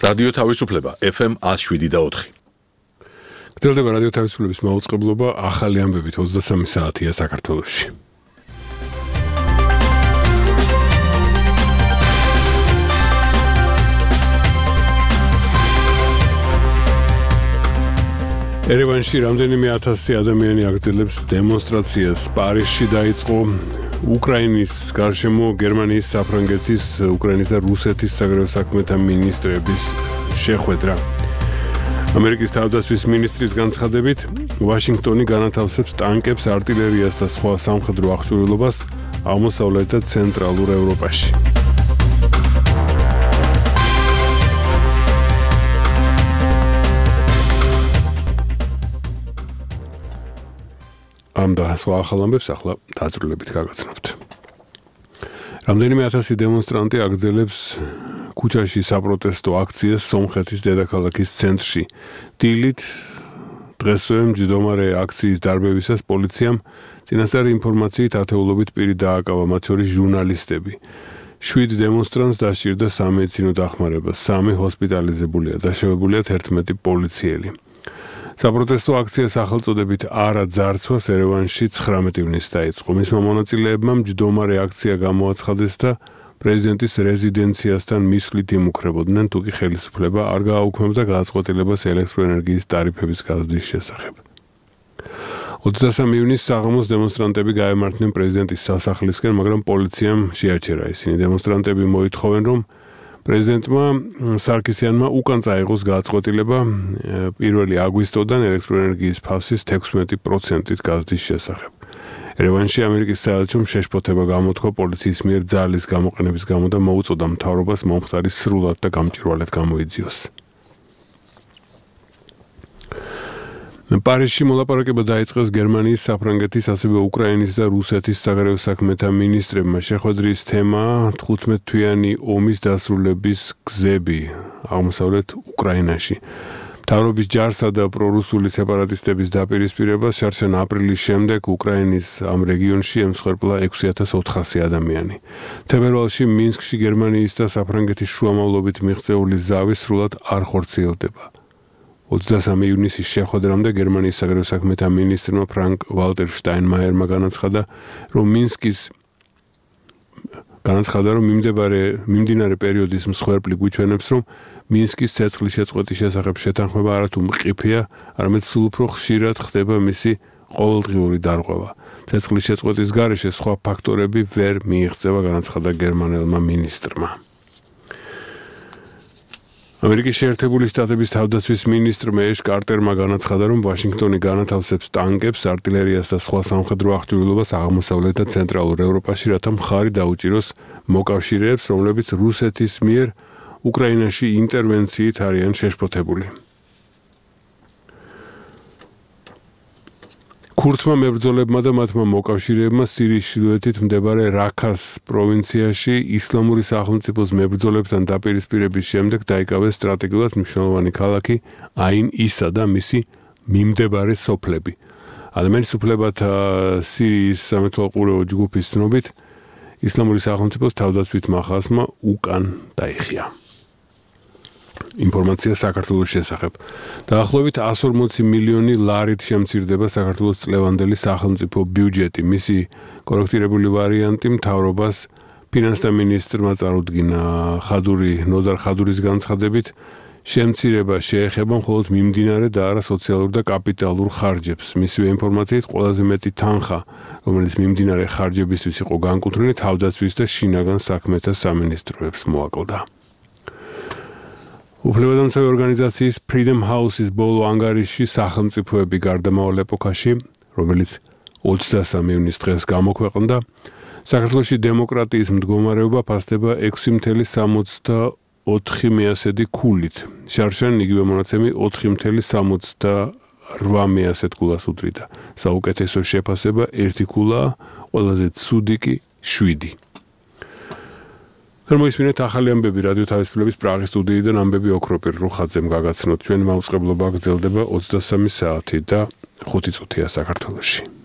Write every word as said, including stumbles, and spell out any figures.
რადიო თავისუფლება ეფ ემ one oh seven და four. გრძელდება რადიო თავისუფლების მაუწყებლობა, ახალი ამბებით ოცდასამი საათია საქართველოში. ერევანში რამდენიმე ათასი ადამიანი აგრძელებს დემონსტრაციას. პარიზში დაიწყო უკრაინის გარშემო გერმანიის, საფრანგეთის, უკრაინის და რუსეთის საგარეო საქმეთა მინისტრების შეხვედრა. ამერიკის თავდაცვის მინისტრის განცხადებით, ვაშინგტონი განათავსებს ტანკებს, артиლერიას და სხვა სამხედრო აღჭურვილობას აღმოსავლეთ და ცენტრალურ ევროპაში. ამ და სხვა ახალ ამბებს ახლა დაწვრილებით გაგაცნობთ. რამდენიმე ათასი დემონსტრანტი აგრძელებს ქუჩაში საპროტესტო აქციას სომხეთის დედაქალაქის ცენტრში. დილით დღესვე მჯდომარე აქციის დარბევისას პოლიციამ წინასწარი ინფორმაციით ათეულობით პირი დააკავა, მათ შორის ჟურნალისტები. შვიდ დემონსტრანტს დასჭირდა სამედიცინო დახმარება, სამი ჰოსპიტალიზებულია, დაშავებულია თერთმეტი პოლიციელი. საპროტესტო აქცია სახელწოდებით არა ძარცვას ერევანში ცხრამეტი ივნისს დაიწყო. მისმა მონაწილეებმა მჯდომარე აქცია გამოაცხადეს და პრეზიდენტის რეზიდენციასთან მისვლით იმუქრებოდნენ, თუკი ხელისუფლება არ გააუქმებდა გადაწყვეტილებას ელექტროენერგიის ტარიფების გაზრდის შესახებ. ოცდასამი ივნისს საღამოს დემონსტრანტები გაემართნენ პრეზიდენტის სასახლისკენ, მაგრამ პოლიციამ შეაჩერა. ისინი დემონსტრანტები მოითხოვენ, რომ პრეზიდენტმა სარქისიანმა უკან წაიღოს გადაწყვეტილება პირველი აგვისტოდან ელექტროენერგიის ფასის თექვსმეტი პროცენტით გაზრდის შესახებ. ერევანში ამერიკის საელჩომ შეშფოთება გამოთქვა პოლიციის მიერ ძალის გამოყენების გამო და მოუწოდა მთავრობას მომხდარი სრულად და გამჭვირვალედ გამოიძიოს. პარიზში მოლაპარაკება დაიწყეს გერმანიის, საფრანგეთის, ასევე უკრაინის და რუსეთის საგარეო საქმეთა მინისტრებმა. შეხვედრის თემაა თხუთმეტთვიანი ომის დასრულების გზები აღმოსავლეთ უკრაინაში. მთავრობის ჯარსა და პრორუსული სეპარატისტების დაპირისპირებას შარშან აპრილის შემდეგ უკრაინის ამ რეგიონში ემსხვერპლა ექვსი ათას ოთხასი ადამიანი. თებერვალში მინსკში გერმანიის და საფრანგეთის შუამავლობით მიღწეული ზავი სრულად არ ხორციელდება. ოცდასამი ივნისის შეხვედრამდე გერმანიის საგარეო საქმეთა მინისტრმა ფრანკ ვალტერ შტაინმაიერმა განაცხადა, რომ მინსკის განაცხადა, რომ მიმდებარე მიმდინარე პერიოდის მსხვერპლი გვიჩვენებს, რომ მინსკის ცეცხლის შეწყვეტის შესახებ შეთანხმება არათუ მყიფეა, არამედ სულ უფრო ხშირად ხდება მისი ყოველდღიური დარღვევა. ცეცხლის შეწყვეტის გარეშე სხვა ფაქტორები ვერ მიიღწევა, განაცხადა გერმანელმა მინისტრმა. ამერიკის შეერთებული შტატების თავდაცვის მინისტრმა ეშ კარტერმა განაცხადა, რომ ვაშინგტონი განათავსებს ტანკებს, артиლერიას და სხვა სამხედრო აღჭურვილობას აღმოსავლეთ და ცენტრალურ ევროპაში, რათა მხარი დაუჭიროს მოკავშირეებს, რომლებიც რუსეთის მიერ უკრაინაში ინტერვენციით არიან შეშფოთებული. ქურთმა მებრძოლებმა და მათმა მოკავშირეებმა სირიის ჩრდილოეთით მდებარე რაქას პროვინციაში ისლამური სახელმწიფოს მებრძოლებთან დაპირისპირების შემდეგ დაიკავეს სტრატეგიულად მნიშვნელოვანი ქალაქი აინ ისა და მისი მიმდებარე სოფლები. ადამიანის უფლებათა სირიის სამეთვალყურეო ჯგუფის ცნობით, ისლამური სახელმწიფოს თავდაცვითმა ხაზმა უკან დაიხია. ინფორმაცია საქართველოს შესახებ. დაახლოებით one hundred forty მილიონი ლარით შემცირდება საქართველოს წლევანდელი სახელმწიფო ბიუჯეტი. მისი კორექტირებული ვარიანტი მთავრობას ფინანსთა მინისტრმა წარუდგინა. ხადური ნოდარ ხადურის განცხადებით, შემცირება შეეხება მხოლოდ მიმდინარე და არა სოციალურ და კაპიტალურ ხარჯებს. მისივე ინფორმაციით, ყველაზე მეტი თანხა, რომელიც მიმდინარე ხარჯებისთვის იყო განკუთვნილი, თავდაცვის და შინაგან საქმეთა სამინისტროებს მოაკლდა. უფლებადამცავი ორგანიზაციის Freedom House-ის ბოლო ანგარიშში სახელმწიფოები გარდამავალ ეპოქაში, რომელიც ოცდასამი ივნისს დღეს გამოქვეყნდა, საქართველოში დემოკრატიის მდგომარეობა ფასდება ექვსი virgulă სამოცდაოთხი ქულით. შარშან იგივე მონაცემი ოთხი virgulă სამოცდაოთხ ქულას უდრიდა. საუკეთესო შეფასება ერთი ქულაა, ყველაზე ცუდი კი შვიდი. თორმოისმინეთ ახალი ამბები რადიო თავისუფლების პრაღის სტუდიიდან ამბები ოქროპირ რუხაძემ გაგაცნოთ. ჩვენი მაუწყებლობა გრძელდება ოცდასამი საათი და ხუთი წუთია საქართველოში.